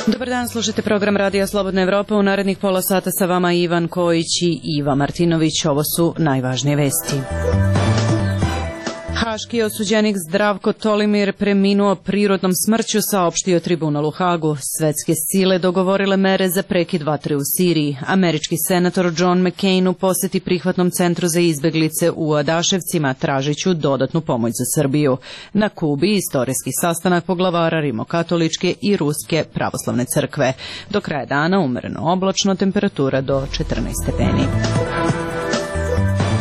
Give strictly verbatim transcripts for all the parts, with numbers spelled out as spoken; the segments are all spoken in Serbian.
Dobar dan, slušajte program Radija Slobodna Evropa. U narednih pola sata sa vama Ivan Kojić i Iva Martinović. Ovo su najvažnije vesti. Haški osuđenik Zdravko Tolimir preminuo prirodnom smrću, saopštio tribunal u Hagu. Svetske sile dogovorile mere za prekid vatre u Siriji. Američki senator John McCain u poseti prihvatnom centru za izbeglice u Adaševcima, tražiću dodatnu pomoć za Srbiju. Na Kubi istorijski sastanak poglavara rimokatoličke i ruske pravoslavne crkve. Do kraja dana umereno oblačno, temperatura do četrnaest stepeni.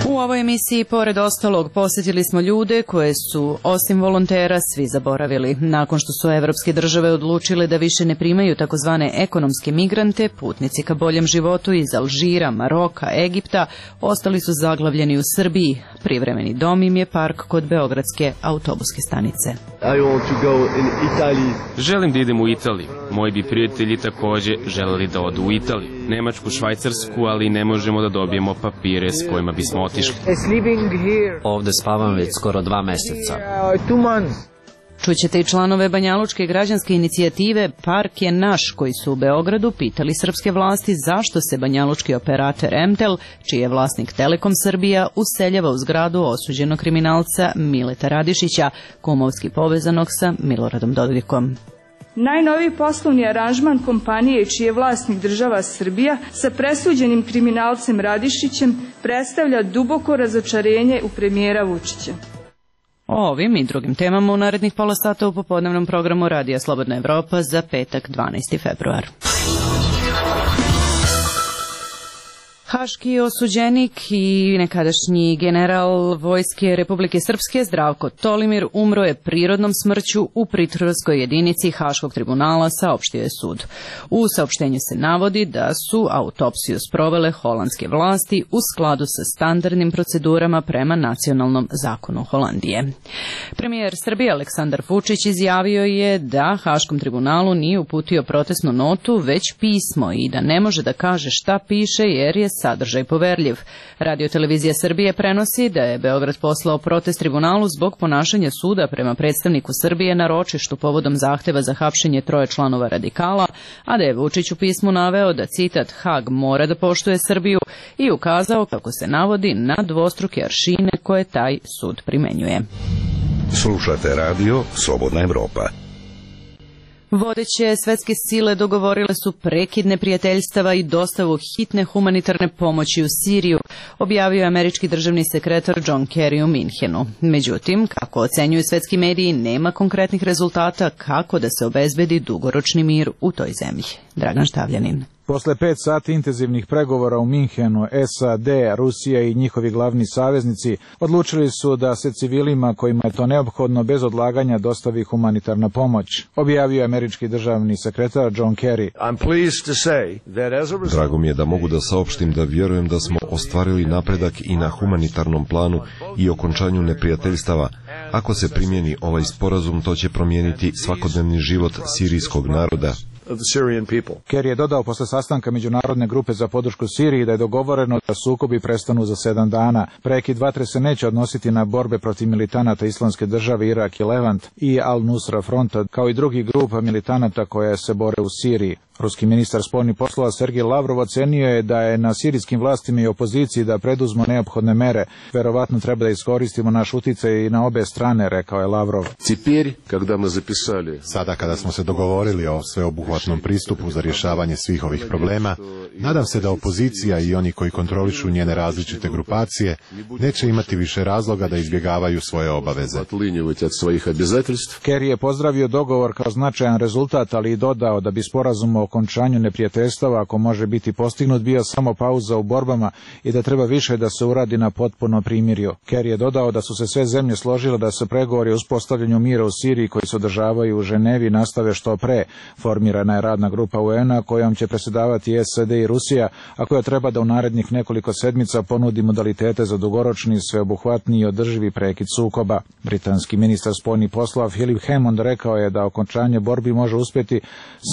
U ovoj emisiji, pored ostalog, posjetili smo ljude koje su, osim volontera, svi zaboravili. Nakon što su evropske države odlučile da više ne primaju takozvane ekonomske migrante, putnici ka boljem životu iz Alžira, Maroka, Egipta ostali su zaglavljeni u Srbiji. Privremeni dom im je park kod beogradske autobuske stanice. Želim da idem u Italiju. Moji bi prijatelji takođe želeli da odu u Italiju, Nemačku, Švajcarsku, ali ne možemo da dobijemo papire s kojima bismo otišli. Ovde spavam već skoro dva meseca. Čućete i članove Banjalučke građanske inicijative Park je naš, koji su u Beogradu pitali srpske vlasti zašto se banjalučki operator Emtel, čiji je vlasnik Telekom Srbija, useljava u zgradu osuđenog kriminalca Mileta Radišića, kumovski povezanog sa Miloradom Dodikom. Najnoviji poslovni aranžman kompanije čiji je vlasnik država Srbija sa presuđenim kriminalcem Radišićem predstavlja duboko razočarenje u premijera Vučića. O ovim i drugim temama u narednih pola sata u popodnevnom programu Radija Slobodna Evropa za petak dvanaesti februar. Haški osuđenik i nekadašnji general Vojske Republike Srpske Zdravko Tolimir umro je prirodnom smrću u pritvorskoj jedinici Haškog tribunala, saopštio je sud. U saopštenju se navodi da su autopsiju sprovele holandske vlasti u skladu sa standardnim procedurama prema nacionalnom zakonu Holandije. Premijer Srbije Aleksandar Vučić izjavio je da Haškom tribunalu nije uputio protestnu notu, već pismo i da ne može da kaže šta piše jer je sadržaj poverljiv. Radio-televizija Srbije prenosi da je Beograd poslao protest tribunalu zbog ponašanja suda prema predstavniku Srbije na ročištu povodom zahteva za hapšenje troje članova radikala, a da je Vučić u pismu naveo da, citat, Hag mora da poštuje Srbiju i ukazao, kako se navodi, na dvostruke aršine koje taj sud primenjuje. Slušate radio Slobodna Evropa. Vodeće svetske sile dogovorile su prekid neprijateljstava i dostavu hitne humanitarne pomoći u Siriju, objavio američki državni sekretar John Kerry u Minhenu. Međutim, kako ocenjuju svetski mediji, nema konkretnih rezultata kako da se obezbedi dugoročni mir u toj zemlji. Dragan Štavljanin. Posle pet sati intenzivnih pregovora u Minhenu, S A D, Rusija i njihovi glavni saveznici odlučili su da se civilima kojima je to neophodno bez odlaganja dostavi humanitarna pomoć, objavio američki državni sekretar John Kerry. Drago mi je da mogu da saopštim da vjerujem da smo ostvarili napredak i na humanitarnom planu i okončanju neprijateljstava. Ako se primjeni ovaj sporazum, to će promijeniti svakodnevni život sirijskog naroda. Kerry je dodao posle sastanka Međunarodne grupe za podršku Siriji da je dogovoreno da sukobi prestanu za sedam dana. Prekid vatre se neće odnositi na borbe protiv militanata Islamske države, Irak i Levant i Al-Nusra fronta, kao i drugih grupa militanata koje se bore u Siriji. Ruski ministar spoljnih poslova Sergej Lavrov ocenio je da je na sirijskim vlastima i opoziciji da preduzmu neophodne mere. Verovatno treba da iskoristimo naš uticaj i na obe strane, rekao je Lavrov. Sada kada smo se dogovorili o sveobuhvatnom pristupu za rješavanje svih ovih problema, nadam se da opozicija i oni koji kontrolišu njene različite grupacije neće imati više razloga da izbjegavaju svoje obaveze. Kerry je pozdravio dogovor kao značajan rezultat, ali i dodao da bi sporazum o okončanju neprijateljstava, ako može biti postignut, bio samo pauza u borbama i da treba više da se uradi na potpuno primirju. Kerry je dodao da su se sve zemlje složile da se pregovori o uspostavljanju mira u Siriji koji se održavaju u Ženevi nastave što pre. Formirana je radna grupa U N A kojom će predsjedavati S A D i Rusija, a koja treba da u narednih nekoliko sedmica ponudi modalitete za dugoročni, sveobuhvatni i održivi prekid sukoba. Britanski ministar spoljnih poslova Philip Hammond rekao je da okončanje borbi može uspjeti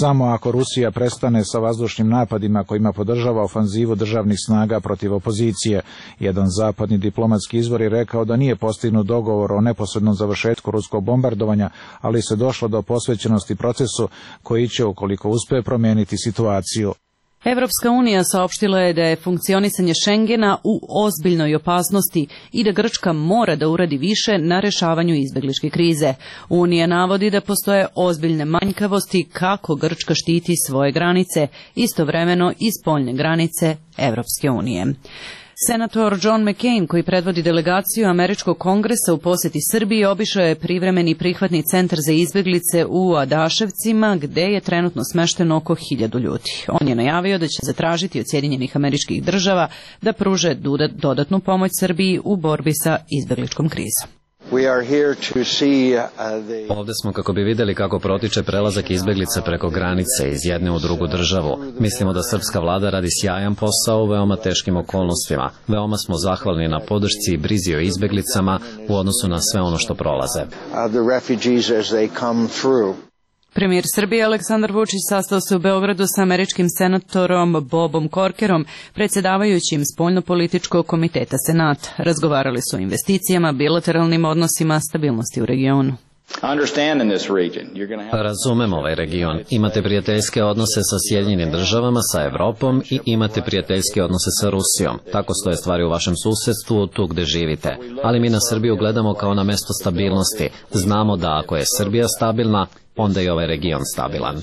samo ako Rusija Srbija prestane sa vazdušnim napadima kojima podržava ofanzivu državnih snaga protiv opozicije. Jedan zapadni diplomatski izvor je rekao da nije postignut dogovor o neposrednom završetku ruskog bombardovanja, ali se došlo do posvećenosti procesu koji će, ukoliko uspe, promijeniti situaciju. Evropska unija saopštila je da je funkcionisanje Šengena u ozbiljnoj opasnosti i da Grčka mora da uradi više na rešavanju izbegličke krize. Unija navodi da postoje ozbiljne manjkavosti kako Grčka štiti svoje granice, istovremeno i spoljne granice Evropske unije. Senator John McCain, koji predvodi delegaciju Američkog kongresa u poseti Srbiji, obišao je privremeni prihvatni centar za izbeglice u Adaševcima, gde je trenutno smešteno oko hiljadu ljudi. On je najavio da će zatražiti od Sjedinjenih Američkih Država da pruže dodatnu pomoć Srbiji u borbi sa izbegličkom krizom. Ovde smo kako bi videli kako protiče prelazak izbeglica preko granice iz jedne u drugu državu. Mislimo da srpska vlada radi sjajan posao u veoma teškim okolnostima. Veoma smo zahvalni na podršci i brizi o izbeglicama u odnosu na sve ono što prolaze. Premijer Srbije Aleksandar Vučić sastao se u Beogradu sa američkim senatorom Bobom Corkerom, predsjedavajućim spoljnopolitičkog komiteta Senata. Razgovarali su o investicijama, bilateralnim odnosima, stabilnosti u regionu. Razumem ovaj region. Imate prijateljske odnose sa Sjedinjenim državama, sa Evropom i imate prijateljske odnose sa Rusijom. Tako stoje stvari u vašem susedstvu, tu gde živite. Ali mi na Srbiju gledamo kao na mesto stabilnosti. Znamo da ako je Srbija stabilna, onda je ovaj region stabilan.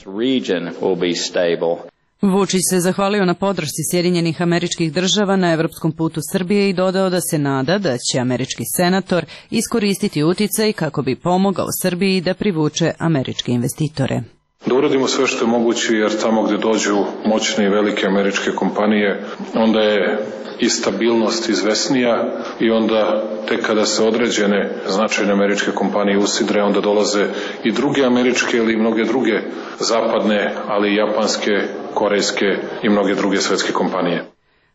Vučić se zahvalio na podršci Sjedinjenih Američkih Država na evropskom putu Srbije i dodao da se nada da će američki senator iskoristiti uticaj kako bi pomogao Srbiji da privuče američke investitore. Da uradimo sve što je moguće, jer tamo gde dođu moćne i velike američke kompanije, onda je i stabilnost izvesnija i onda tek kada se određene značajne američke kompanije usidre, onda dolaze i druge američke ili mnoge druge zapadne, ali i japanske, korejske i mnoge druge svetske kompanije.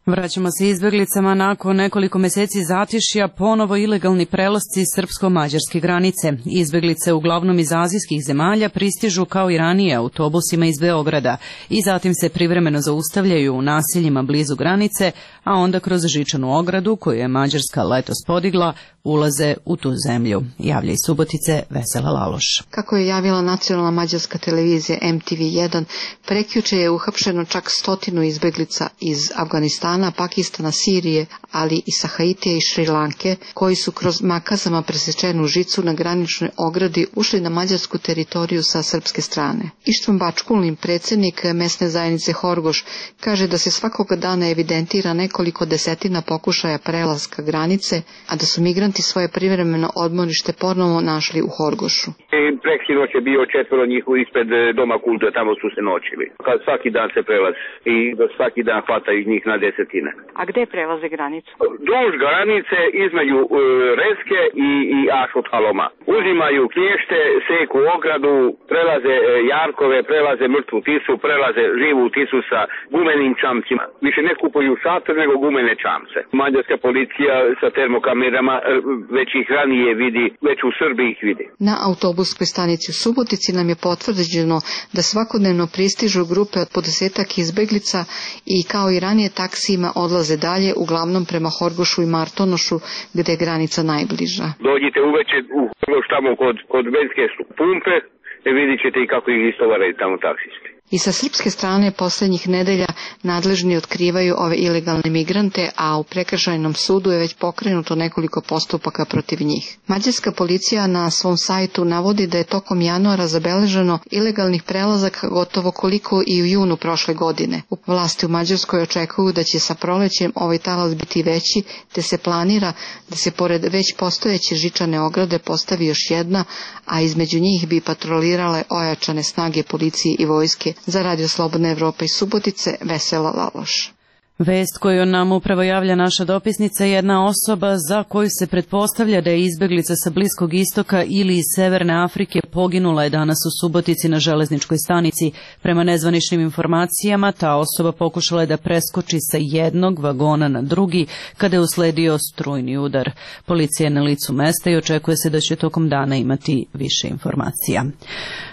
Vraćamo se izbeglicama. Nakon nekoliko meseci zatišja ponovo ilegalni prelasci srpsko-mađarske granice. Izbeglice uglavnom iz azijskih zemalja pristižu kao i ranije autobusima iz Beograda i zatim se privremeno zaustavljaju u naseljima blizu granice, a onda kroz žičanu ogradu koju je Mađarska letos podigla ulaze u tu zemlju. Javlja iz Subotice Vesela Laloš. Kako je javila nacionalna mađarska televizija M T V jedan, prekjuče je uhapšeno čak stotinu izbeglica iz Afganistana, Pakistana, Sirije, ali i sa Haitija i Šrilanke, koji su kroz makazama presečenu žicu na graničnoj ogradi ušli na mađarsku teritoriju sa srpske strane. Ištvan Bačkulin, predsjednik mesne zajednice Horgoš, kaže da se svakoga dana evidentira nekoliko desetina pokušaja prelaska granice, a da su migranti svoje privremeno odmorište ponovo našli u Horgošu. Preksinoć je bio četvoro njih ispred Doma kulture, tamo su se noćili. Kad svaki dan se prelazi i da svaki dan hvataju njih na desetine. A gde prelaze granicu? Duž granice između uh, Reske i, i Ašothaloma. Uzimaju knješte, seku ogradu, prelaze uh, jarkove, prelaze mrtvu tisu, prelaze živu tisu sa gumenim čamcima. Više ne kupuju šator nego gumene čamce. Mađarska policija sa termokamerama uh, već ih ranije vidi, već u Srbiji ih vidi. Na autobuskoj stanici u Subotici nam je potvrđeno da svakodnevno pristižu grupe od po desetak izbeglica i kao i ranije taksijima odlaze dalje, uglavnom prema Horgošu i Martonošu, gde je granica najbliža. Dođite uveče u Horgoš tamo kod, kod benzinske pumpe i vidit ćete i kako ih istovaraju tamo taksisti. I sa srpske strane posljednjih nedelja nadležni otkrivaju ove ilegalne migrante, a u prekršajnom sudu je već pokrenuto nekoliko postupaka protiv njih. Mađarska policija na svom sajtu navodi da je tokom januara zabeleženo ilegalnih prelazaka gotovo koliko i u junu prošle godine. U vlasti u Mađarskoj očekuju da će sa prolećem ovaj talas biti veći, te se planira da se pored već postojeće žičane ograde postavi još jedna, a između njih bi patrolirale ojačane snage policije i vojske. Za Radio Slobodna Evropa iz Subotice, Vesela Laloš. Vest koju nam upravo javlja naša dopisnica je jedna osoba za koju se pretpostavlja da je izbeglica sa Bliskog istoka ili iz Severne Afrike poginula je danas u Subotici na železničkoj stanici. Prema nezvaničnim informacijama, ta osoba pokušala je da preskoči sa jednog vagona na drugi kada je usledio strujni udar. Policija je na licu mesta i očekuje se da će tokom dana imati više informacija.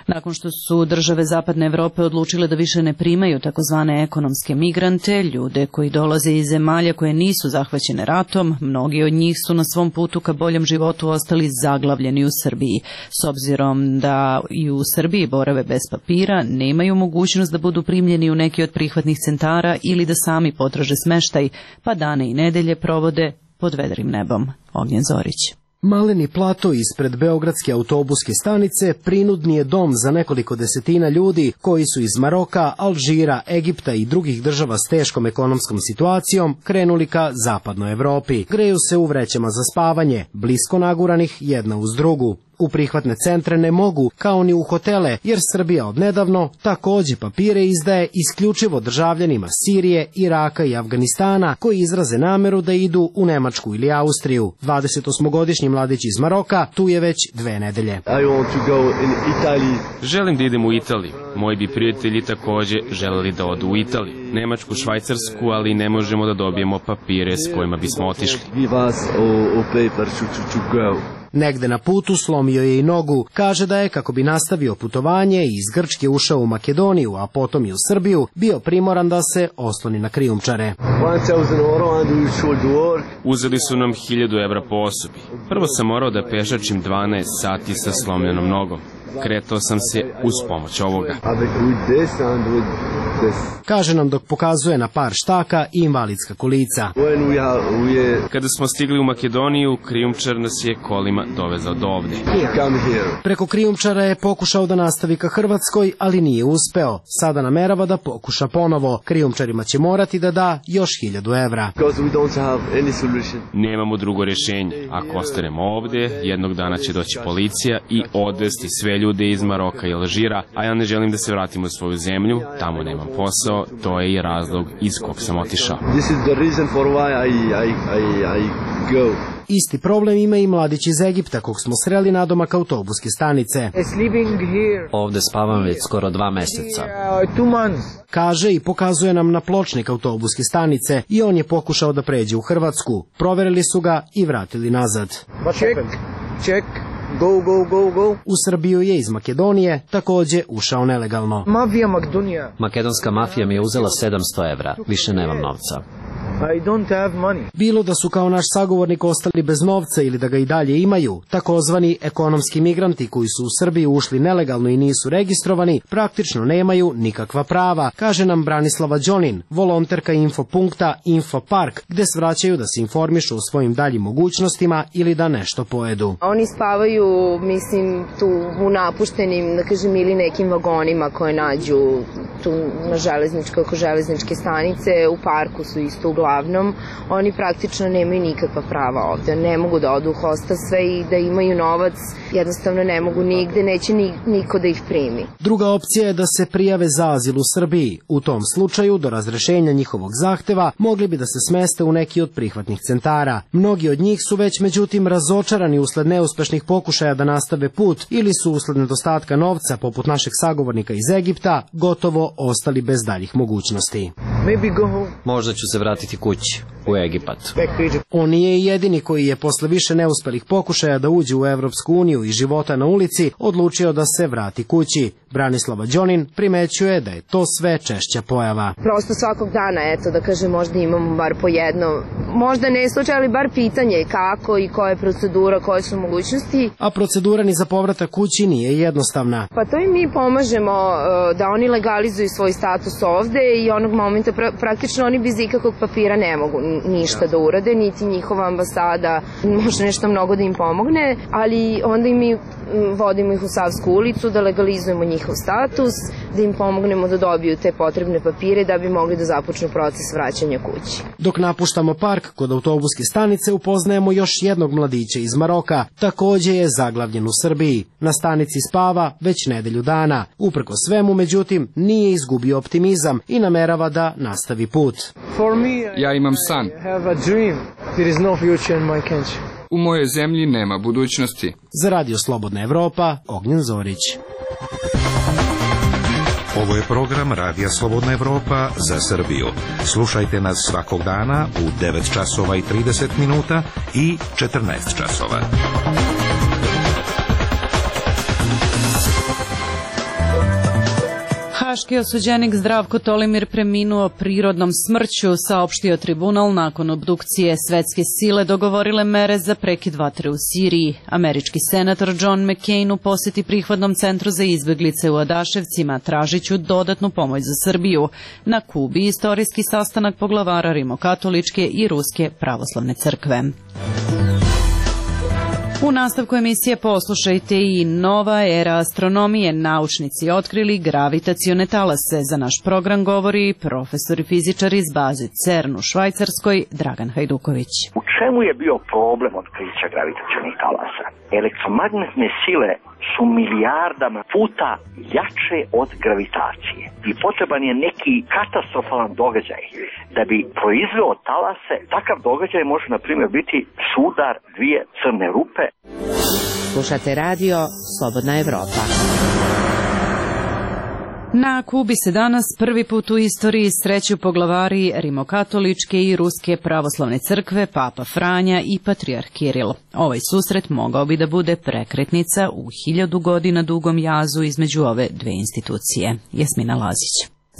Nakon što su države Zapadne Evrope odlučile da više ne primaju takozvane ekonomske migrante, ljude koji dolaze iz zemalja koje nisu zahvaćene ratom, mnogi od njih su na svom putu ka boljem životu ostali zaglavljeni u Srbiji. S obzirom da i u Srbiji borave bez papira, nemaju mogućnost da budu primljeni u neki od prihvatnih centara ili da sami potraže smeštaj, pa dane i nedelje provode pod vedrim nebom. Ognjen Zorić. Maleni plato ispred beogradske autobuske stanice prinudni je dom za nekoliko desetina ljudi koji su iz Maroka, Alžira, Egipta i drugih država s teškom ekonomskom situacijom krenuli ka zapadnoj Evropi. Greju se u vrećama za spavanje, blisko naguranih jedna uz drugu. U prihvatne centre ne mogu, kao ni u hotele, jer Srbija odnedavno takođe papire izdaje isključivo državljanima Sirije, Iraka i Afganistana, koji izraze nameru da idu u Nemačku ili Austriju. dvadesetosmogodišnji mladić iz Maroka tu je već dve nedelje. Želim da idem u Italiju. Moji bi prijatelji takođe želeli da odu u Italiju, Nemačku, Švajcarsku, ali ne možemo da dobijemo papire s kojima bismo otišli. Negde na putu slomio je i nogu. Kaže da je, kako bi nastavio putovanje i iz Grčke ušao u Makedoniju, a potom i u Srbiju, bio primoran da se osloni na krijumčare. Uzeli su nam hiljadu evra po osobi. Prvo sam morao da pešačim dvanaest sati sa slomljenom nogom. Kretao sam se uz pomoć ovoga. Kaže nam dok pokazuje na par štaka i invalidska kolica. Kada smo stigli u Makedoniju, krijumčar nas je kolima dovezao do ovde. Preko krijumčara je pokušao da nastavi ka Hrvatskoj, ali nije uspeo. Sada namerava da pokuša ponovo. Krijumčarima će morati da da još hiljadu evra. Nemamo drugo rješenje. Ako ostanemo ovde, jednog dana će doći policija i odvesti sve ljude iz Maroka i Alžira, a ja ne želim da se vratim u svoju zemlju, tamo nemam posao, to je i razlog iz kog sam otišao. Isti problem ima i mladić iz Egipta, kog smo sreli nadomak autobuske stanice. Ovde spavam već skoro dva meseca. Kaže i pokazuje nam na pločnik autobuske stanice i on je pokušao da pređe u Hrvatsku. Proverili su ga i vratili nazad. Check, check. Go, go, go, go. U Srbiju je iz Makedonije takođe ušao nelegalno. Mafija Makedonija. Makedonska mafija mi je uzela sedamsto evra. Više nemam novca. I don't have money. Bilo da su kao naš sagovornik ostali bez novca ili da ga i dalje imaju, takozvani ekonomski migranti koji su u Srbiju ušli nelegalno i nisu registrovani, praktično nemaju nikakva prava, kaže nam Branislava Đonin, volonterka infopunkta Infopark, gde svraćaju da se informišu o svojim daljim mogućnostima ili da nešto pojedu. Oni spavaju, mislim, tu u napuštenim, da kažem, ili nekim vagonima koje nađu tu na železničkoj, oko železničke stanice, u parku su isto uglavnom. Oni praktično nemaju nikakva prava ovde, ne mogu da odu u hostel sve i da imaju novac, jednostavno ne mogu nigde, neće ni, niko da ih primi. Druga opcija je da se prijave za azil u Srbiji. U tom slučaju, do razrešenja njihovog zahteva, mogli bi da se smeste u neki od prihvatnih centara. Mnogi od njih su već međutim razočarani usled neuspešnih pokušaja da nastave put ili su usled nedostatka novca, poput našeg sagovornika iz Egipta, gotovo ostali bez daljih mogućnosti. Možda ću se vratiti kući, u Egipat. On nije jedini koji je posle više neuspelih pokušaja da uđe u Evropsku uniju i života na ulici odlučio da se vrati kući. Branislava Đonin primećuje da je to sve češća pojava. Prosto svakog dana, eto, da kažem, možda imamo bar po jedno, možda ne slučaj, ali bar pitanje kako i koja je procedura, koje su mogućnosti. A procedura ni za povratak kući nije jednostavna. Pa to i mi pomažemo da oni legalizuju svoj status ovde i onog momenta pra praktično oni bez ikakvog papira ne mogu ništa da urade, niti njihova ambasada može nešto mnogo da im pomogne, ali onda i mi vodimo ih u Savsku ulicu da legalizujemo njihov status, da im pomognemo da dobiju te potrebne papire da bi mogli da započnu proces vraćanja kući. Dok napuštamo park kod autobuske stanice upoznajemo još jednog mladića iz Maroka, takođe je zaglavljen u Srbiji. Na stanici spava već nedelju dana. Uprko svemu, međutim, nije izgubio optimizam i namerava da nastavi put. Ja imam san. U mojoj zemlji nema budućnosti. Za Radio Slobodna Evropa, Ognjen Zorić. Ovo je program Radija Slobodna Evropa za Srbiju. Slušajte nas svakog dana u devet časova i trideset minuta i četrnaest časova. Haški osuđenik Zdravko Tolimir preminuo prirodnom smrću, saopštio tribunal nakon obdukcije. Svetske sile dogovorile mere za prekid vatre u Siriji. Američki senator John McCain u poseti prihvatnom centru za izbeglice u Adaševcima tražiću dodatnu pomoć za Srbiju. Na Kubi istorijski sastanak poglavara Rimokatoličke i Ruske pravoslavne crkve. U nastavku emisije poslušajte i nova era astronomije. Naučnici otkrili gravitacione talase. Za naš program govori profesor i fizičar iz baze CERN u Švajcarskoj, Dragan Hajduković. U čemu je bio problem otkrića gravitacionih talasa? Elektromagnetne sile su milijardama puta jače od gravitacije i potreban je neki katastrofalan događaj da bi proizveo talase. Takav događaj može, na primjer, biti sudar dvije crne rupe. Slušate radio Slobodna Evropa. Na Kubi se danas prvi put u istoriji sreću poglavari Rimokatoličke i Ruske pravoslavne crkve, Papa Franja i Patrijarh Kiril. Ovaj susret mogao bi da bude prekretnica u hiljadu godina dugom jazu između ove dve institucije. Jasmina Lazić.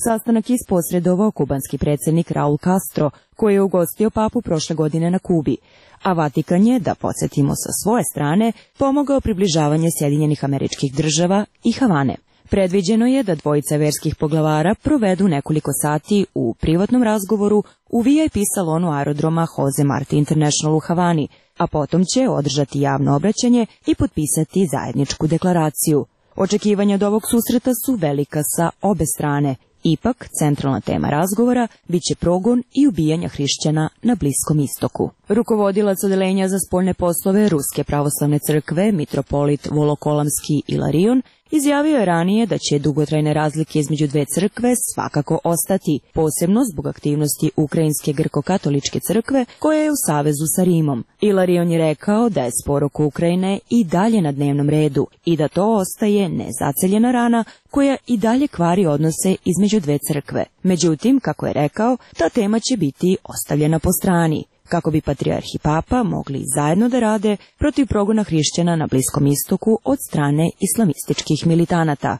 Sastanak isposredovao kubanski predsjednik Raul Castro, koji je ugostio papu prošle godine na Kubi, a Vatikan je, da podsjetimo sa svoje strane, pomogao približavanje Sjedinjenih Američkih Država i Havane. Predviđeno je da dvojica verskih poglavara provedu nekoliko sati u privatnom razgovoru u V I P salonu aerodroma Jose Marti International u Havani, a potom će održati javno obraćanje i potpisati zajedničku deklaraciju. Očekivanja od ovog susreta su velika sa obe strane. Ipak, centralna tema razgovora biće progon i ubijanja hrišćana na Bliskom istoku. Rukovodilac odeljenja za spoljne poslove Ruske pravoslavne crkve, mitropolit Volokolamski Ilarion, izjavio je ranije da će dugotrajne razlike između dve crkve svakako ostati, posebno zbog aktivnosti Ukrajinske grko-katoličke crkve koja je u savezu sa Rimom. Ilarion je rekao da je spor oko Ukrajine i dalje na dnevnom redu i da to ostaje nezaceljena rana koja i dalje kvari odnose između dve crkve. Međutim, kako je rekao, ta tema će biti ostavljena po strani, kako bi patrijarh i papa mogli zajedno da rade protiv progona hrišćana na Bliskom istoku od strane islamističkih militanata.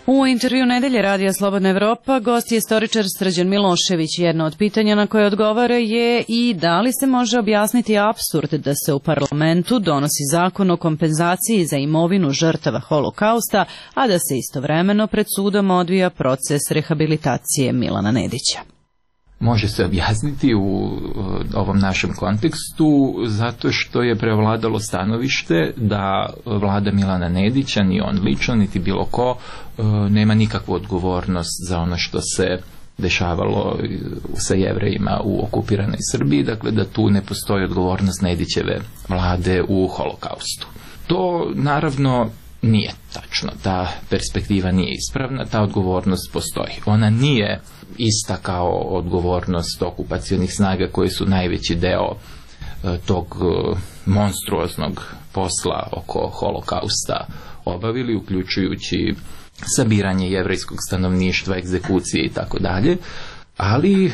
U intervju Nedelje Radija Slobodna Evropa gost je istoričar Srđan Milošević. Jedno od pitanja na koje odgovara je i da li se može objasniti apsurd da se u parlamentu donosi zakon o kompenzaciji za imovinu žrtava holokausta, a da se istovremeno pred sudom odvija proces rehabilitacije Milana Nedića. Može se objasniti u ovom našem kontekstu zato što je prevladalo stanovište da vlada Milana Nedića, ni on lično, niti bilo ko, nema nikakvu odgovornost za ono što se dešavalo sa Jevrejima u okupiranoj Srbiji, dakle da tu ne postoji odgovornost Nedićeve vlade u holokaustu. To naravno nije tačno, ta perspektiva nije ispravna, ta odgovornost postoji. Ona nije ista kao odgovornost okupacionih snaga koji su najveći deo e, tog e, monstruoznog posla oko holokausta obavili, uključujući sabiranje jevrejskog stanovništva, egzekucije i tako dalje, ali e,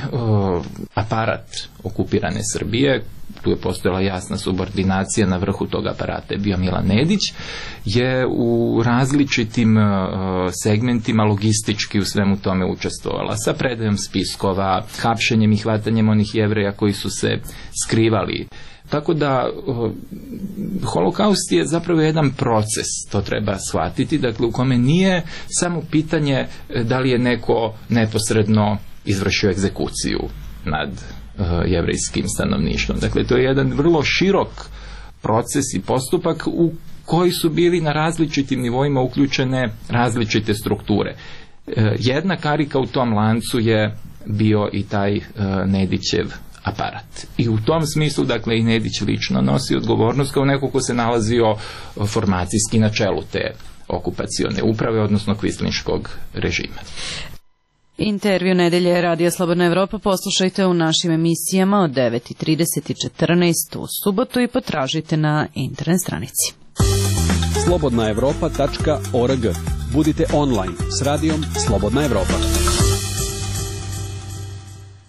aparat okupirane Srbije, tu je postojala jasna subordinacija, na vrhu tog aparata je bio Milan Nedić, je u različitim uh, segmentima logistički u svemu tome učestvovala, sa predajom spiskova, hapšenjem i hvatanjem onih Jevreja koji su se skrivali. Tako da uh, holokaust je zapravo jedan proces, to treba shvatiti, dakle u kome nije samo pitanje da li je neko neposredno izvršio egzekuciju nad jevrejskim stanovništvom. Dakle, to je jedan vrlo širok proces i postupak u koji su bili na različitim nivoima uključene različite strukture. Jedna karika u tom lancu je bio i taj Nedićev aparat. I u tom smislu, dakle, i Nedić lično nosi odgovornost kao neko ko se nalazio formacijski na čelu te okupacione uprave, odnosno kvislinškog režima. Intervju nedelje Radija Slobodna Evropa poslušajte u našim emisijama od devet i trideset i četrnaest u subotu i potražite na internet stranici. slobodna evropa tačka org. Budite online s radijom Slobodna Evropa.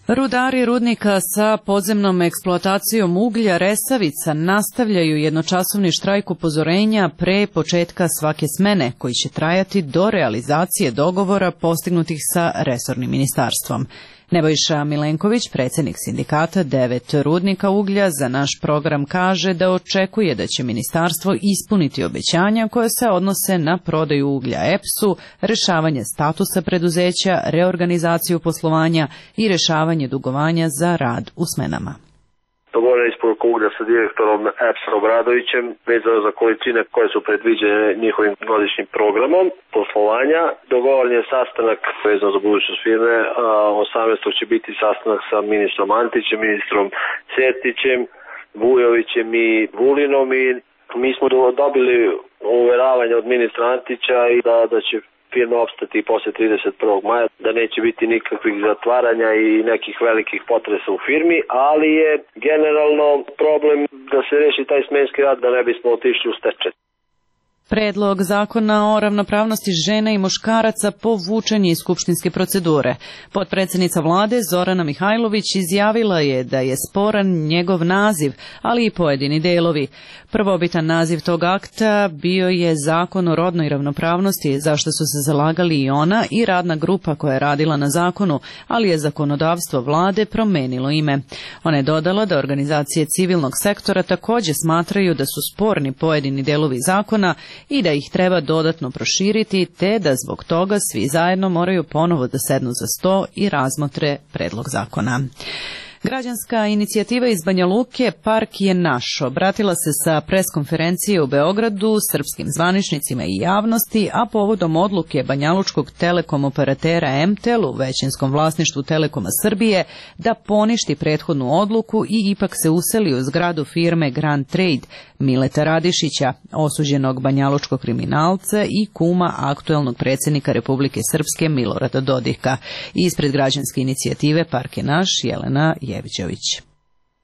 Rudari rudnika sa podzemnom eksploatacijom uglja Resavica nastavljaju jednočasovni štrajk upozorenja pre početka svake smene, koji će trajati do realizacije dogovora postignutih sa resornim ministarstvom. Nebojša Milenković, predsjednik sindikata devet rudnika uglja, za naš program kaže da očekuje da će ministarstvo ispuniti obećanja koje se odnose na prodaju uglja E P S-u, rešavanje statusa preduzeća, reorganizaciju poslovanja i rešavanje dugovanja za rad u smenama. Dogovorena isporuka uglja sa direktorom E P S-a Obradovićem vezano za količine koje su predviđene njihovim godišnjim programom poslovanja. Dogovoren je sastanak vezano za budućnost firme, a osamnaestog će biti sastanak sa ministrom Antićem, ministrom Sertićem, Vujovićem i Vulinom i mi smo dobili uveravanje od ministra Antića i da, da će firma opstati i posle trideset prvog maja, da neće biti nikakvih zatvaranja i nekih velikih potresa u firmi, ali je generalno problem da se reši taj smenski rad, da ne bismo otišli u stečaj. Predlog zakona o ravnopravnosti žena i muškaraca povučen je iz skupštinske procedure. Potpredsjednica vlade Zorana Mihajlović izjavila je da je sporan njegov naziv, ali i pojedini delovi. Prvobitan naziv tog akta bio je Zakon o rodnoj ravnopravnosti, zašto su se zalagali i ona i radna grupa koja je radila na zakonu, ali je zakonodavstvo vlade promenilo ime. Ona je dodala da organizacije civilnog sektora također smatraju da su sporni pojedini delovi zakona i da ih treba dodatno proširiti, te da zbog toga svi zajedno moraju ponovo da sednu za sto i razmotre predlog zakona. Građanska inicijativa iz Banja Luke Park je naš obratila se sa preskonferencije u Beogradu srpskim zvaničnicima i javnosti, a povodom odluke banjalučkog telekom operatera M T E L u većinskom vlasništvu Telekoma Srbije da poništi prethodnu odluku i ipak se useli u zgradu firme Grand Trade Mileta Radišića, osuđenog banjalučkog kriminalca i kuma aktuelnog predsjednika Republike Srpske Milorada Dodika. Ispred građanske inicijative Park je naš, Jelena Jevđević.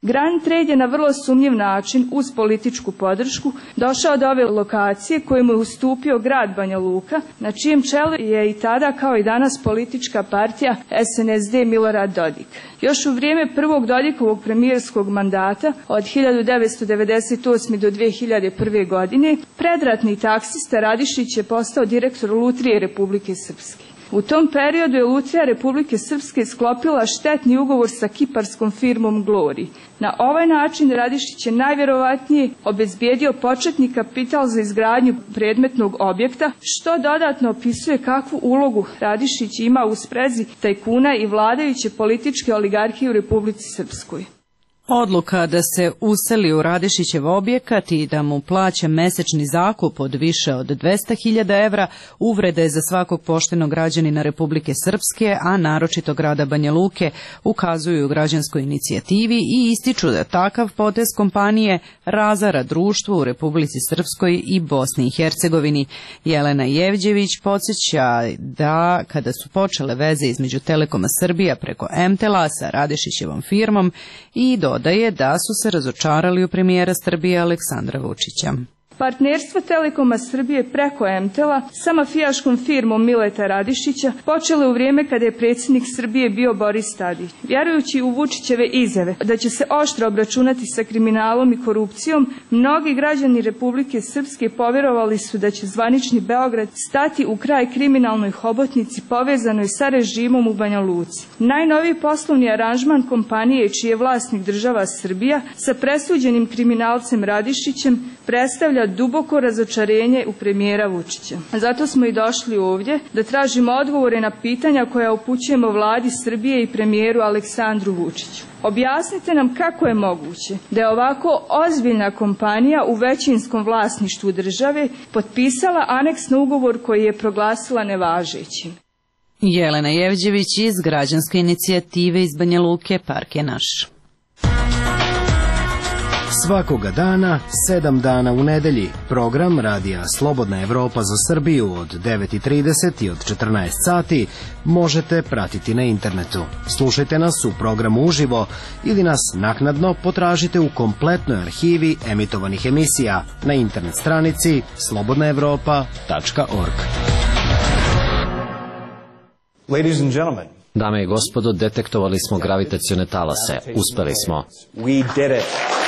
Grand Trade je na vrlo sumnjiv način, uz političku podršku, došao do ove lokacije koju mu je ustupio grad Banja Luka, na čijem čelu je i tada kao i danas politička partija S N S D Milorad Dodik. Još u vrijeme prvog Dodikovog premijerskog mandata od hiljadu devetsto devedeset osme. do dve hiljade prve. godine, predratni taksista Radišić je postao direktor Lutrije Republike Srpske. U tom periodu je Lutrija Republike Srpske sklopila štetni ugovor sa kiparskom firmom Glory. Na ovaj način Radišić je najvjerovatnije obezbijedio početni kapital za izgradnju predmetnog objekta, što dodatno opisuje kakvu ulogu Radišić ima u sprezi tajkuna i vladajuće političke oligarhije u Republici Srpskoj. Odluka da se useli u Radišićev objekat i da mu plaća mesečni zakup od više od dvesta hiljada evra uvrede za svakog poštenog građanina Republike Srpske, a naročito grada Banja Luke, ukazuju u građanskoj inicijativi i ističu da takav potez kompanije razara društvo u Republici Srpskoj i Bosni i Hercegovini. Jelena Jevđević podsjeća da kada su počele veze između Telekoma Srbija preko M T E L-a sa Radišićevom firmom i do da je da su se razočarali u premijera Srbije Aleksandra Vučića. Partnerstvo Telekoma Srbije preko M T E L-a sa mafijaškom firmom Mileta Radišića počelo u vrijeme kada je predsjednik Srbije bio Boris Tadić. Vjerujući u Vučićeve izjave da će se oštro obračunati sa kriminalom i korupcijom, mnogi građani Republike Srpske povjerovali su da će zvanični Beograd stati u kraj kriminalnoj hobotnici povezanoj sa režimom u Banja Luci. Najnoviji poslovni aranžman kompanije čiji je vlasnik država Srbija sa presuđenim kriminalcem Radišićem predstavlja duboko razočarenje u premijera Vučića. Zato smo i došli ovdje da tražimo odgovore na pitanja koja upućujemo vladi Srbije i premijeru Aleksandru Vučiću. Objasnite nam kako je moguće da je ovako ozbiljna kompanija u većinskom vlasništvu države potpisala aneks na ugovor koji je proglasila nevažećim. Jelena Jevđević iz građanske inicijative iz Banja Luke Park je naš. Svakoga dana, sedam dana u nedelji, program Radija Slobodna Evropa za Srbiju od devet i trideset i od četrnaest sati možete pratiti na internetu. Slušajte nas u programu uživo ili nas naknadno potražite u kompletnoj arhivi emitovanih emisija na internet stranici slobodna evropa tačka org. Ladies and gentlemen, Dame i gospodo, detektovali smo gravitacione talase. Uspeli smo. we did it.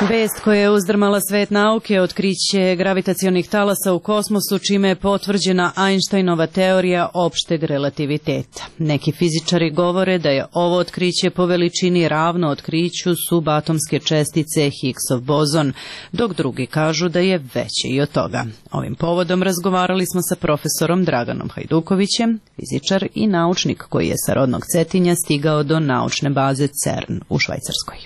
Vest koja je uzdrmala svet nauke je otkriće gravitacionih talasa u kosmosu, čime je potvrđena Einsteinova teorija opšteg relativiteta. Neki fizičari govore da je ovo otkriće po veličini ravno otkriću subatomske čestice Higgsov bozon, dok drugi kažu da je veće i od toga. Ovim povodom razgovarali smo sa profesorom Draganom Hajdukovićem, fizičar i naučnik koji je sa rodnog Cetinja stigao do naučne baze CERN u Švajcarskoj.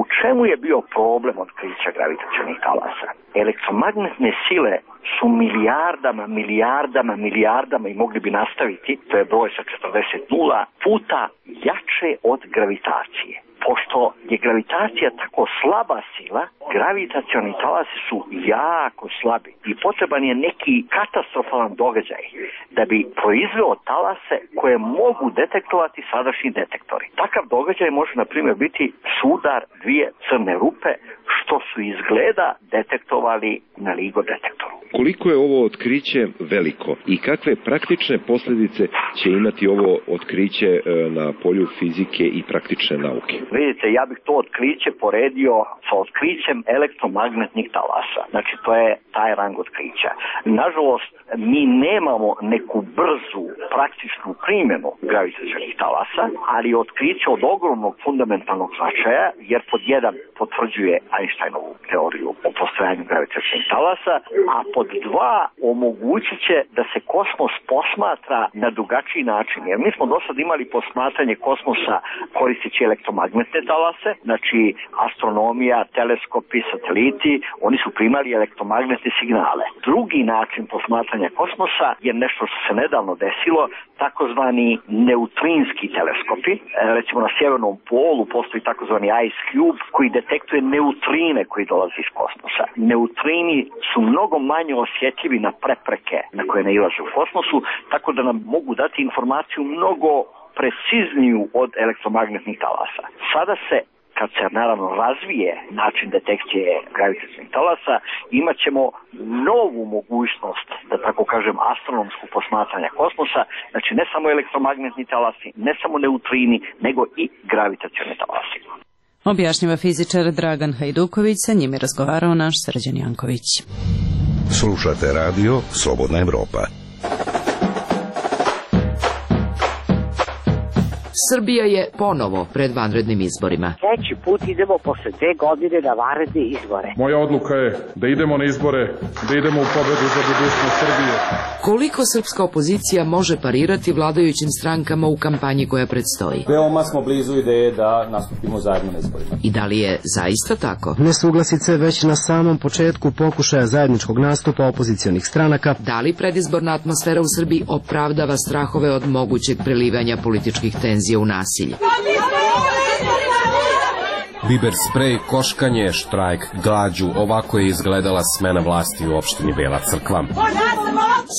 U čemu je bio problem otkrića gravitacionih talasa? Elektromagnetne sile su milijardama, milijardama, milijardama i mogli bi nastaviti, to je broj sa četrdeset nula, puta jače od gravitacije. Pošto je gravitacija tako slaba sila, gravitacioni talasi su jako slabi i potreban je neki katastrofalan događaj da bi proizveo talase koje mogu detektovati sadašnji detektori. Takav događaj može, na primjer, biti sudar dvije crne rupe, što su izgleda detektovali na LIGO detektoru. Koliko je ovo otkriće veliko i kakve praktične posljedice će imati ovo otkriće na polju fizike i praktične nauke? Vidite, ja bih to otkriće poredio sa otkrićem elektromagnetnih talasa. Znači, to je taj rang otkrića. Nažalost, mi nemamo neku brzu praktičnu primjenu gravitacionih talasa, ali otkriće od ogromnog fundamentalnog značaja, jer pod jedan potvrđuje Einsteinovu teoriju o postojanju gravitacionih talasa, a pod dva omogućit će da se kosmos posmatra na drugačiji način. Jer mi smo do sad imali posmatranje kosmosa koristeći elektromagnetne talase, znači astronomija, teleskopi, sateliti, oni su primali elektromagnetne signale. Drugi način posmatranja kosmosa je nešto što se nedavno desilo, takozvani neutrinski teleskopi. Recimo na sjevernom polu postoji takozvani Ice Cube koji detektuje neutrine koji dolaze iz kosmosa. Neutrini su mnogo manje osjetljivi na prepreke na koje nailaze u kosmosu, tako da nam mogu dati informaciju mnogo precizniju od elektromagnetnih talasa. Sada se, kad se naravno razvije način detekcije gravitacionih talasa, imat ćemo novu mogućnost, da tako kažem, astronomsku posmatranja kosmosa, znači ne samo elektromagnetni talasi, ne samo neutrini, nego i gravitacioni talasi. Objašnjava fizičar Dragan Hajduković, sa njim je razgovarao naš Srđan Janković. Slušate radio Slobodna Evropa. Srbija je ponovo pred vanrednim izborima. Treći put idemo posle dve godine na vanredne izbore. Moja odluka je da idemo na izbore, da idemo u pobedu za budućnost Srbije. Koliko srpska opozicija može parirati vladajućim strankama u kampanji koja predstoji? Veoma smo blizu ideje da nastupimo zajedno na izborima. I da li je zaista tako? Nesuglasice već na samom početku pokušaja zajedničkog nastupa opozicionih stranaka. Da li predizborna atmosfera u Srbiji opravdava strahove od mogućeg prelivanja političkih tenzija u nasilje? Biber sprej, koškanje, štrajk, glađu, ovako je izgledala smena vlasti u opštini Bela Crkva.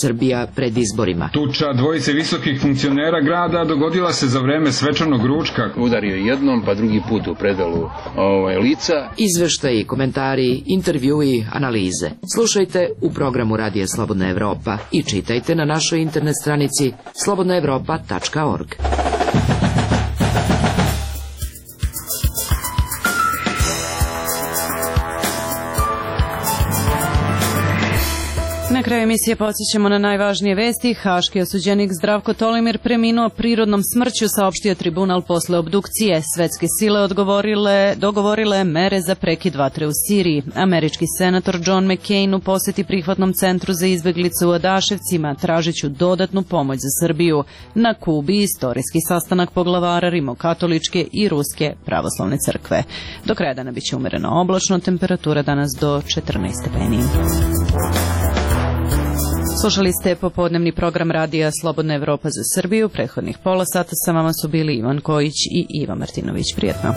Srbija pred izborima. Tuča dvojice visokih funkcionera grada dogodila se za vreme svečanog ručka. Udario jednom, pa drugi put u predalu ovaj, lica. Izveštaji, komentari, intervjui, analize. Slušajte u programu Radija Slobodna Evropa i čitajte na našoj internet stranici slobodna evropa tačka org. Na kraju emisije podsjećamo na najvažnije vesti. Haški osuđenik Zdravko Tolimir preminuo prirodnom smrću, saopštio tribunal posle obdukcije. Svetske sile odgovorile, dogovorile mere za prekid vatre u Siriji. Američki senator John McCain u poseti prihvatnom centru za izbeglice u Adaševcima tražiću dodatnu pomoć za Srbiju. Na Kubi istorijski sastanak poglavara rimokatoličke i ruske pravoslavne crkve. Do kraja dana biće umereno oblačno, temperatura danas do četrnaest stepeni. Slušali ste popodnevni program Radija Slobodna Evropa za Srbiju. Prethodnih pola sata sa vama su bili Ivan Kojić i Iva Martinović. Prijetno.